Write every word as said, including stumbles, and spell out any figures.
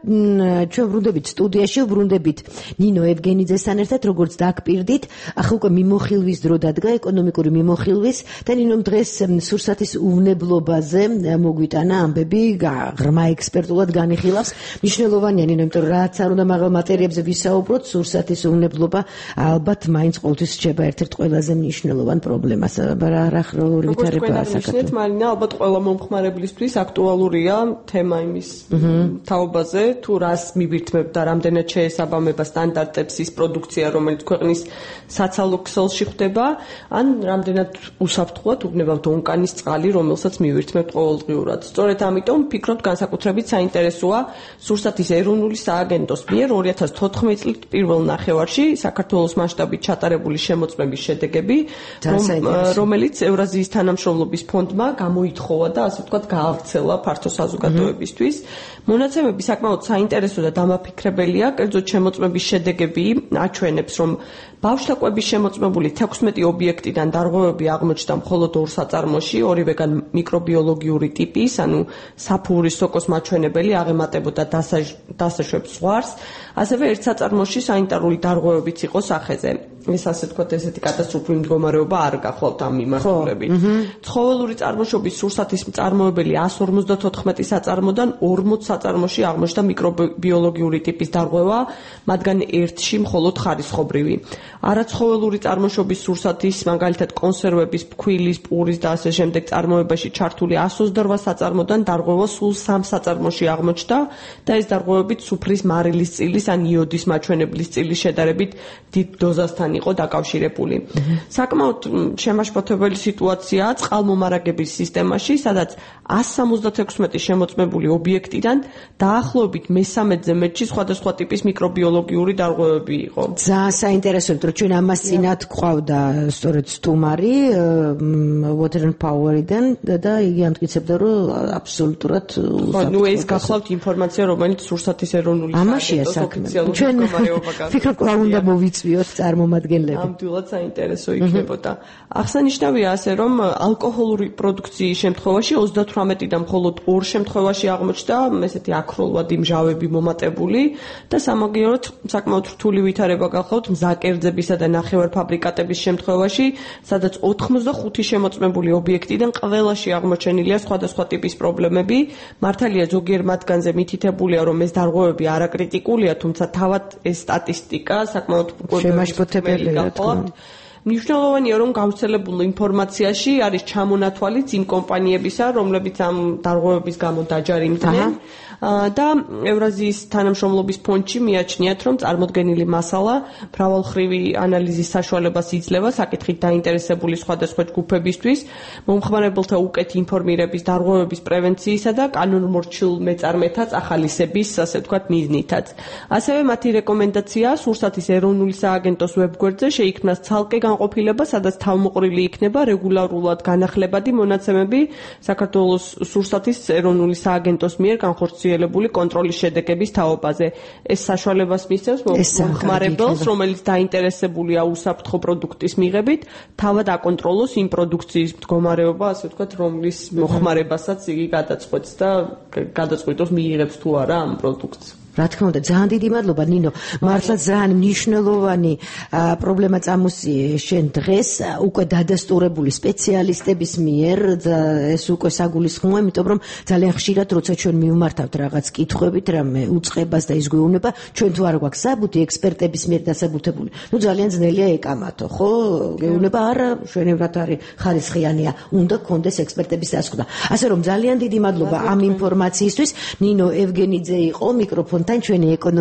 ჩვენ ვრუნდებით სტუდიაში, ვრუნდებით ნინო ევგენიძესთან ერთად, როგორც დაგპირდით, ახლა უკვე მიმოხილვის დრო დადგა, ეკონომიკური მიმოხილვის და ნინომ დღეს სურსათის უვნებლობაზე მოგვიტანა ამბები, ღრმა ექსპერტულად განიხილავს. მნიშვნელოვანია ნინო, იმიტომ რომ რაც არ უნდა მაღალ მატერიებზე ვისაუბროთ, სურსათის უვნებლობა ალბათ მაინც ყოველთვის რჩება ერთ-ერთ ყველაზე მნიშვნელოვან პრობლემას. რა ხროლური ვითარებაა საქართველოს. მარინა, ალბათ ყველა მომხმარებლისთვის აქტუალურია თემა იმის თაობაზე, თუ რას მივირთმევთ და რამდენად შეესაბამება სტანდარტებს ის პროდუქცია, რომელიც ქვეყნის საცალო ქსელში ხდება, ან რამდენად უსაფრთხოა უგნებავთ ონკანის წყალი, რომელსაც მივირთმევთ ყოველდღიურად. სწორედ ამიტომ ვფიქრობთ, განსაკუთრებით საინტერესოა სურსათის ეროვნული სააგენტოს მიერ ორი ათას თოთხმეტი წლის პირველ ნახევარში საქართველოს მასშტაბით ჩატარებული შემოწმების შედეგები, რომელიც ევრაზიის თანამშრომლობის ფონდმა გამოითხოვა და ასე ვთქვათ გაავრცელა ფართო საზოგადოებისთვის. მონაცემები საკმაოდ საინტერესო და დამაფიქრებელია, კერძოდ შემოწმების შედეგები აჩვენებს, რომ ბავშვთა კვების შემოწმებული თექვსმეტი ობიექტიდან დარღვევები აღმოჩნდა მხოლოდ ორ საწარმოში, ორივეგან მიკრობიოლოგიური ტიპის, ანუ საფურის სოკოს მაჩვენებელი აღემატებოდა დასაშვებ ზღვარს, ასევე ერთ საწარმოში სანიტარული დარღვევებიც იყო სახეზე. ეს ასე ვთქვათ, ესეთი კატასტროფული მდგომარეობა არ გახლავთ ამ მიმართულებით. ცხოველური წარმოშობის სურსათის მწარმოებელი εκατს ორმოცდათოთხმეტი საწარმოდან ორმოც საწარმოში აღმოჩნდა მიკრობიოლოგიური ტიპის დარღვევა, მათგან ერთში მხოლოდ ხარისხობრივი. არაცხოველური წარმოშობის სურსათის, მაგალითად კონსერვების, ფქვილის, პურის და ასე შემდეგ წარმოებაში ჩართული εκατს ოცდაოთხ საწარმოდან დარღვევა სულ სამ საწარმოში აღმოჩნდა და ეს დარღვევები სუფრის მარილის წილის ან იოდის მაჩვენებლის წილის შედარებით დიდ დოზასთან იყო დაკავშირებული. საკმაოდ შემაშფოთებელი სიტუაციაა წყალმომარაგების სისტემაში, სადაც εκατს სამოცდათექვსმეტი შემოწმებული ობიექტიდან დაახლოებით მესამედზე მეტში სხვადასხვა ტიპის მიკრობიოლოგიური დარღვევები იყო. ძალიან საინტერესოა, რომ ჩვენ ამას წინათ გვყავდა სწორედ სტუმარი Water and Power-დან და იგი ამტკიცებდა, რომ აბსოლუტურად ნუ ეს გახლავთ ინფორმაცია, რომელიც სურსათის ეროვნული სააგენტოს ოფიციალური მდგომარეობა გახდა. ვფიქრობ, რა უნდა მოვიწვიოთ წარმომადგენლები. ამდვილად საინტერესო იქნებოდა. აღსანიშნავია ასე, რომ ალკოჰოლური პროდუქციის შემთხვევაში ოცდათვრამეტიდან მხოლოდ ორ შემთხვევაში აღმოჩნდა ესეთი აქროლვადი მჟავები მომატებული და სამაგიეროდ საკმაოდ რთული ვითარება გახლავთ მზაკერძებისა და ნახევარფაბრიკატების შემთხვევაში, სადაც ოთხმოცდახუთი შემოწმებული ობიექტიდან ყველაში აღმოჩენილია სხვადასხვა ტიპის პრობლემები. მართალია ზოგიერთ მათგანზე მითითებულია, რომ ეს დარღვევები არაკრიტიკულია, თუმცა თავად ეს სტატისტიკა საკმაოდ შემაშფოთებელია. მნიშვნელოვანია, რომ გავრცელებულ ინფორმაციაში არის ჩამონათვალიც იმ კომპანიებისა, რომლებიც ამ დარღვევების გამო დაჯარიმდნენ და ევრაზიის თანამშრომლობის ფონდში მიაჩნიათ, რომ წარმოდგენილი მასალა მრავალხრივი ანალიზის საშუალებას იძლევა საკითხით დაინტერესებული სხვადასხვა ჯგუფებისთვის, მომხმარებელთა უკეთ ინფორმირების, დარღვევების პრევენციისა და კანონმორჩილ მეწარმეთა ახალისების, ასე ვთქვათ, მიზნითაც. ასევე მათი რეკომენდაციაა სურსათის ეროვნული სააგენტოს ვებგვერდზე შეიქმნას ცალკე განყოფილება, სადაც თავმოყრილი იქნება რეგულარულად განახლებადი მონაცემები საქართველოს სურსათის ეროვნული სააგენტოს მიერ განხორციელებული კონტროლის შედეგების თაობაზე. ეს საშუალებას მისცემს მომხმარებელს, რომელიც დაინტერესებულია უსაფრთხო პროდუქტის მიღებით, თავად აკონტროლოს იმ პროდუქციის მდგომარეობა, ასე ვთქვათ, რომლის მოხმარებასაც იგი გადაწყვეტს და გადაწყვეტოს მიიღებს თუ არა ამ პროდუქტს. რა თქმა უნდა, ძალიან დიდი მადლობა ნინო. მართლა ძალიან მნიშვნელოვანი პრობლემა წამოსიე შენ დღეს უკვე დადასტურებული სპეციალისტების მიერ, ეს უკვე საგულისხმოა, იმიტომ რომ ძალიან ხშირად როცა ჩვენ მივმართავთ რაღაც კითხვებით, რამე უწყებას და ის გვეუბნება, ჩვენ თუ არ გვაქვს საბუთი ექსპერტების მიერ დასაბუთებული. ნუ ძალიან ძნელია ეკამათო, ხო? გეუბნება არა, ჩვენებრივად არის ხარისხიანია, უნდა გქონდეს ექსპერტების დასკვნა. ასე რომ ძალიან დიდი მადლობა ამ ინფორმაციისთვის. ნინო ევგენიძე იყო მიკროფონთან ჩვენი ეკონომიკა